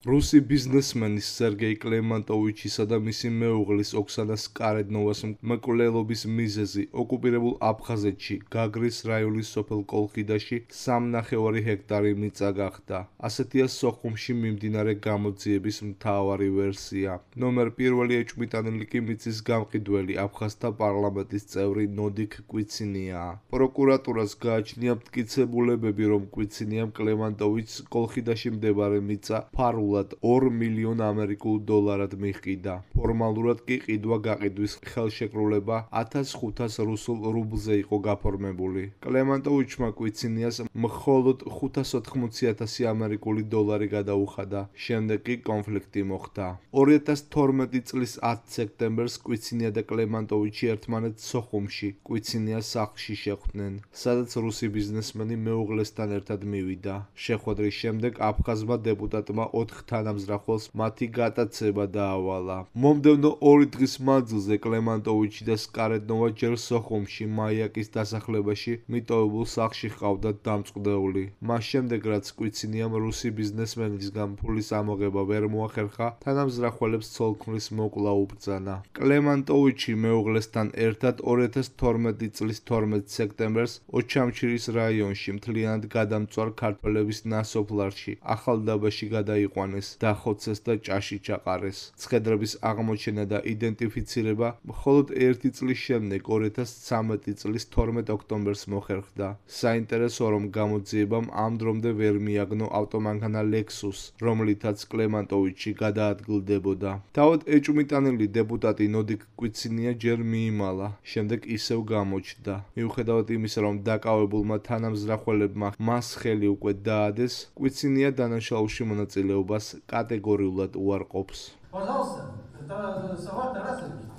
რუსი ბიზნესმენის სერგეი კლემანტოვიჩისა და მისი მეუღლის ოქსანა სკარედნოვას მკვლელობის მიზეზი ოკუპირებულ აფხაზეთში გაგრის რაიონის სოფელ კოლხიდაში 3,5 ჰექტარი მიწა გახდა. ასეთია სოხუმში მიმდინარე გამოძიების მთავარი ვერსია. ნომერ პირველი ეჭვმიტანილი კი მიწის გამყიდველი აფხაზთა პარლამენტის წევრი ნოდიქ კვიცინიაა. პროკურატურას გააჩნია მტკიცებულებები, რომ კვიცინიამ კლემანტოვიჩს კოლხიდაში მდებარე მიწა ფარულად 2 მილიონ ამერიკულ დოლარად მიყიდა. ფორმალურად კი ყიდვა-გაყიდვის ხელშეკრულება 1500 რუსულ რუბლზე იყო გაფორმებული. კლემანტოვიჩმა კვიცინიას მხოლოდ 580,000 ამერიკული დოლარი გადაუხადა. შემდეგ კი კონფლიქტი მოხდა. 2012 წლის 10 სექტემბერს კვიცინია და კლემანტოვიჩი ერთმანეთს სოხუმში, კვიცინიას სახლში შეხვდნენ, სადაც რუსი ბიზნესმენი მეუღლესთან ერთად მივიდა. შეხვედრის შემდეგ აფხაზმა დეპუტატმა 4 თანამზრახველს მათი გატაცება დაავალა. მომდევნო 2 დღის მანძილზე კლემანტოვიჩი და სკარედნოვა ჯერ სოხუმში მაიაკის დასახლებაში მიტოვებულ სახლში ჰყავდათ დამწყვდეული. მას შემდეგ, რაც კვიცინიამ რუსი ბიზნესმენისგან ფულის ამოღება ვერ მოახერხა, თანამზრახველებს ცოლ-ქმრის მოკლა უბრძანა. კლემანტოვიჩი მეუღლესთან ერთად 2012 წლის 12 სექტემბერს ოჩამჩირის რაიონში მთლიანად გადამწვარ ქართველების ნასოფლარში ახალდაბაში გადაიყვანეს, დახოცეს და ჭაში ჩაყარეს. ცხედრების აღმოჩენა და იდენტიფიცირება მხოლოდ 1 წლის შემდეგ 2013 წლის 12 ოქტომბერს მოხერხდა. საინტერესოა, რომ გამოძიებამ ამ დრომდე ვერ მიაგნო ავტომანქანა ლექსუს, რომლითაც კლემანტოვიჩი გადაადგილდებოდა. თავად ეჭვმიტანილი დეპუტატი ნოდიქ კვიცინია ჯერ მიიმალა, შემდეგ ისევ გამოჩნდა. მიუხედავად იმისა, რომ დაკავებულმა თანამზრახველებმა მას ხელი უკვე დაადეს, კვიცინია დანაშაულში მონაწილეობას კატეგორიულად უარყოფს. Пожалуйста, это Сават Тарасович,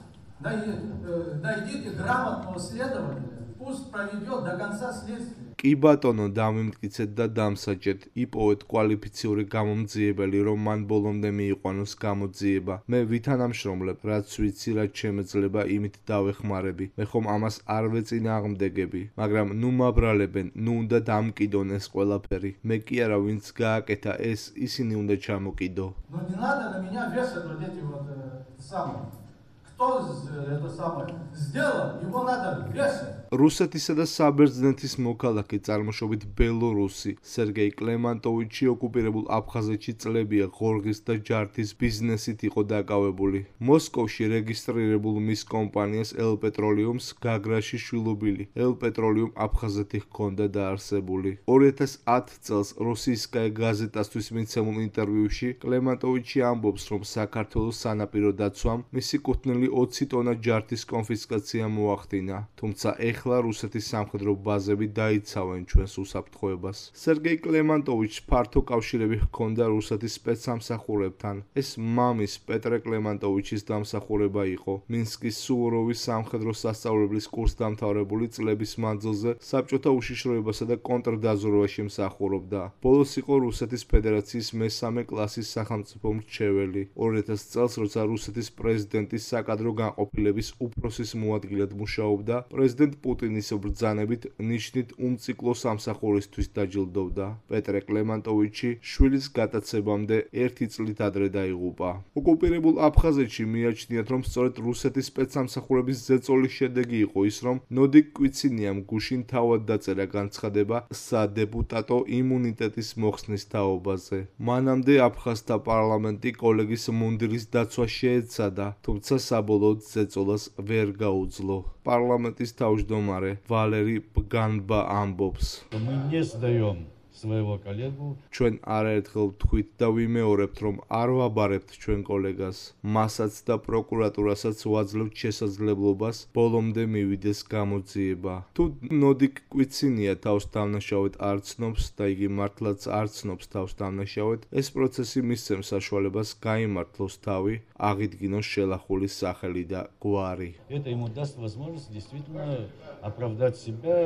найдите грамотного следователя, пусть проведет до конца следствия. კი ბატონო, დამიმტკიცეთ და დამსაჯეთ, იპოვეთ კვალიფიციური გამომძიებელი, რომ მან ბოლომდე მიიყვანოს გამოძიება. მე ვითანამშრომლებ, რაც ვიცი, რაც შემეძლება, იმით დავეხმარები. მე ხომ ამას არ ვეწინააღმდეგები, მაგრამ ნუ მაბრალებენ, ნუ უნდა დამკიდონ ეს ყველაფერი. მე კი არა, ვინც გააკეთა ეს, ისინი უნდა ჩამოკიდო. Но не надо на меня вешать вот эти вот самые. Кто это самое сделал, его надо вешать. რუსეთისა და საბერძნეთის მოქალაქე წარმოშობით ბელორუსი სერგეი კლემანტოვიჩი ოკუპირებულ აფხაზეთში წლებია ღორღის და ჯართის ბიზნესით იყო დაკავებული. მოსკოვში რეგისტრირებულ მის კომპანიას ელპეტროლიუმს გაგრაში შვილობილი ელპეტროლიუმ აფხაზეთი ჰქონდა დაარსებული. 2010 წელს რუსიისკაია გაზეტასთვის მიცემულ ინტერვიუში კლემანტოვიჩი ამბობს, რომ საქართველოს სანაპირო დაცვამ მისი კუთვნილი 20 ტონა ჯართის კონფისკაცია მოახდინა, თუმცა ეხლა რუსეთის სამხედრო ბაზები დაიცავენ ჩვენს უსაფრთხოებას. სერგეი კლემანტოვიჩს ფართო კავშირები ჰქონდა რუსეთის სპეცსამსახურებთან. ეს მამის პეტრე კლემანტოვიჩის დამსახურება იყო. მინსკის სუვოროვის სამხედრო სასწავლებლის კურსდამთავრებული წლების მანძილზე საბჭოთა უშიშროებასა და კონტრდაზვერვაში მსახურობდა. ბოლოს იყო რუსეთის ფედერაციის მესამე კლასის სახელმწიფო მრჩეველი. 2000 წელს, როცა რუსეთის პრეზიდენტის საკადრო განყოფილების უფროსის მოადგილედ მუშაობდა, პრეზიდენტ პუტინის ბრძანებით ნიშნით უმციკლო სამსახურისთვის დაჯილდოვდა. პეტრე კლემანტოვიჩი შვილის გატაცებამდე 1 წლით ადრე დაიღუპა. ოკუპირებულ აფხაზეთში მიაჩნიათ, რომ სწორედ რუსეთის სპეცსამსახურების ზეწოლის შედეგი იყო ის, რომ ნოდიქ კვიცინიამ გუშინ თავად დაწერა განცხადება სადეპუტატო იმუნიტეტის მოხსნის თაობაზე. მანამდე აფხაზთა პარლამენტი კოლეგის მუნდირის დაცვა შეეცადა, თუმცა საბოლოოდ ზეწოლას ვერ გაუძლო. პარლამენტის თავმჯდომარე ვალერი ბგანბა ამბობს. Мы не сдаем своего коллегу. ჩვენ არაერთხელ ვთქვით და ვიმეორებთ, რომ არ ვაბარებთ ჩვენ კოლეგას. მასაც და პროკურატურასაც ვაძლევთ შესაძლებლობას ბოლომდე მივიდეს გამოძიება. თუ ნოდიქ კვიცინია თავს დამნაშავედ არ ცნობს და იგი მართლაც არ ცნობს თავს დამნაშავედ, ეს პროცესი მისცემს საშუალებას გაიმართლოს თავი, აღიდგინოს შელახულის სახელი და გვარი. Это ему даст возможность действительно оправдать себя,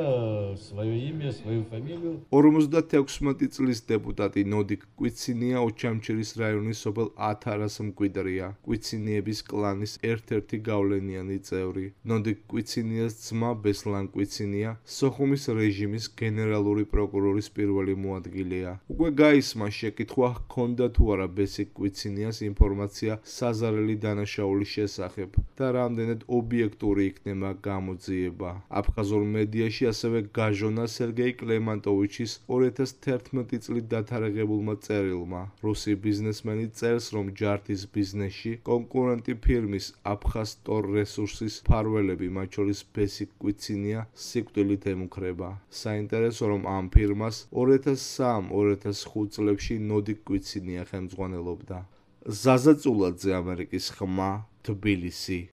свое имя, свою фамилию. 56 16 წლის დეპუტატი ნოდიკ კვიცინია ოჩამჩირის რაიონის სოფელ ათარას მკვიდრია. კვიცინიების კლანის ერთ-ერთი გავლენიანი წევრი. ნოდიკ კვიცინიას ძმა ბესლან კვიცინია სოხუმის რეჟიმის გენერალური პროკურორის პირველი მოადგილეა. უკვე გაისმა შეკითხვა ჰქონდა თუ არა ბესიკ კვიცინიას ინფორმაცია საზარელი დანაშაულის შესახებ და რამდენად ობიექტური იქნება გამოძიება. აფხაზურ მედიაში ასევე გაჟონა სერგეი კლემანტოვიჩის 2011 წლით დათარიღებულმა წერილმა. რუსი ბიზნესმენი წერს, რომ ჯარდის ბიზნესში კონკურენტი ფირმის აფხაზ ტორ რესურსის მფარველები, მათ შორის ბესიკ კვიცინია, სიკვდილით ემუქრება. საინტერესო, რომ ამ ფირმას 2003-2005 წლებში ნოდიკ კვიცინია ხელმძღვანელობდა. ზაზა წულაძე, ამერიკის ხმა, თბილისი.